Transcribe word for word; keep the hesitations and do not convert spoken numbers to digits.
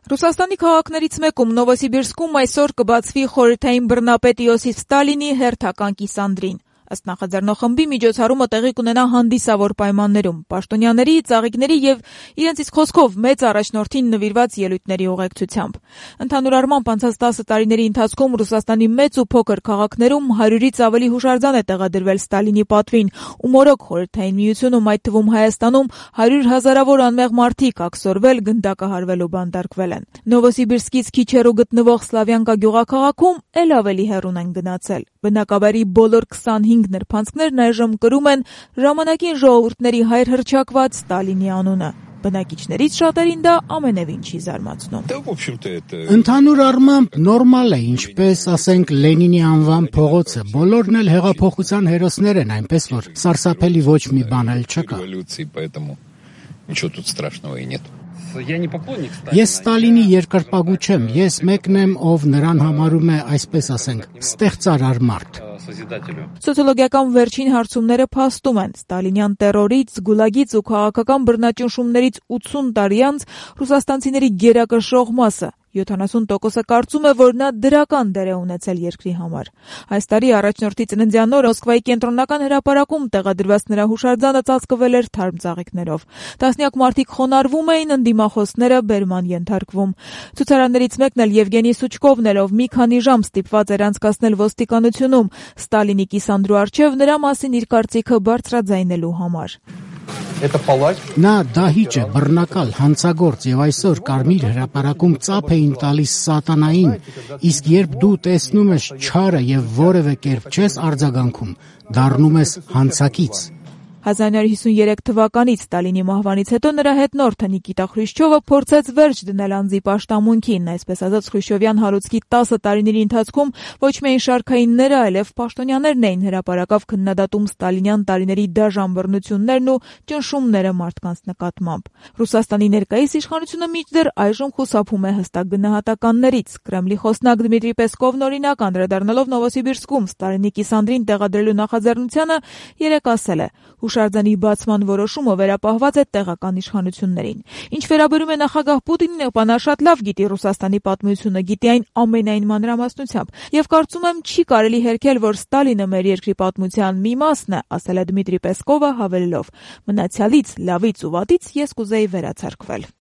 Ռուսաստանի քաղաքներից մեկում Նովոսիբիրսկում այսօր կբացվի խորհրդային բռնապետ Իոսիֆ Ստալինի հերթական կիսանդրին։ Ըստ նախաձեռնախմբի միջոցառումը տեղի կունենա հանդիսավոր պայմաններում, պաշտոնյաների, ծաղիկների եւ իրենց իսկ խոսքով մեծ առաջնորդին նվիրված ելույթների ուղեկցությամբ։ Ընդհանուր առմամբ անցած տասը տարիների ընթացքում Ռուսաստանի մեծ ու փոքր քաղաքներում հարյուրից ավելի հուշարձան է տեղադրվել Ստալինի պատվին, ու մորոք խորհրդային միությունում, այդ թվում Հայաստանում, հարյուր հազարավոր անմեղ մարդիկ աքսորվել, գնդակահարվել ու բանտարկվել են։ Նովոսիբիրսկից քիչ հեռու գտնվող Սլավյանկա գյուղաքաղաքում էլ ավելի հեռուն են գնացել։ Բնակավայրի բոլոր քսանհինգ նրբանցքներն այժմ կրում են ժամանակին ժողովուրդների հայր հռչակված Ստալինի անունը։ Բնակիչներից շատերին դա ամենևին չի զարմացնում։ Ընդհանուր առմամբ նորմալ է, ինչպես ասենք Լենինի անվան փողոցը, բոլորն էլ հեղափոխության հերոսներ են, այնպես որ սարսափելի ոչ մի բան էլ չկա։ Ես Ստալինի երկրպագու չեմ, ես մեկն եմ, ով նրան համարում է, այսպես ասենք, ստեղծարար մարդ։ Սոցիոլոգիական վերջին հարցումները փաստում են. Ստալինյան տերորից, գուլագից ու քաղաքական բռնաճնշումներից ութսուն տարի անց ռուսաստանցիների գերակշռող մասը յոթանասուն տոկոսը կարծում է, որ նա դրական դեր է ունեցել երկրի համար։ Այս տարի առաջնորդի ծննդյան օրը Մոսկվայի կենտրոնական հրապարակում տեղադրված նրա հուշարձանը ծածկվել էր թարմ ծաղիկներով։ Տասնյակ մարդիկ խոնարհվում էին, ընդդիմախոսները բերման ենթարկվում։ Ցուցարարներից մեկն էլ Եվգենի Սուչկովն էր, ով մի քանի ժամ ստիպված էր անցկացնել ոստիկանությունում Ստալինի կիսանդրու առջև նրա մասին իր կարծիքը բարձրաձայնելու համար։ Նա դահիճ է, բռնակալ, հանցագործ եւ այսօր Կարմիր հրապարակում ծափ էին տալիս սատանային, իսկ երբ դու տեսնում ես չարը եւ որևէ կերպ չես արձագանքում, դառնում ես հանցակից։ հազար նույնսուն հիսուներեք թվականից Ստալինի մահվանից հետո նրա հետնորդը Նիկիտա Խրուշչովը փորձեց վերջ դնել անձի պաշտամունքին, այսպես ասած Խրուշչովյան հարուցքի տասը տարիների ընթացքում ոչ միայն շարքայինները, այլև պաշտոնյաներն էին հրապարակավ քննադատում ստալինյան տարիների դաժան բռնություններն ու ճնշումները մարդկանց նկատմամբ։ Ռուսաստանի ներկայիս իշխանությունը մինչդեռ այժմ խուսափում է հստակ գնահատականներից։ Կրեմլի խոսնակ Դմիտրի Պեսկովն օրինակ անդրադառնալով Նովոսիբիրսկում Ստալինի կիսանդրին տեղադրելու նախաձեռնությանը երեկ ասել է. Հուշարձանի բացման որոշումը վերապահված է տեղական իշխանություններին։ Ինչ վերաբերում է նախագահ Պուտինին, ապա նա շատ լավ գիտի Ռուսաստանի պատմությունը, գիտի այն ամենայն մանրամասնությամբ, եւ կարծում եմ չի կարելի հերքել, որ Ստալինը մեր երկրի պատմության մի մասն է, ասել է Դմիտրի Պեսկովը, հավելելով. մնացյալից, լավից ու վատից ես կուզեի վերացարկվել։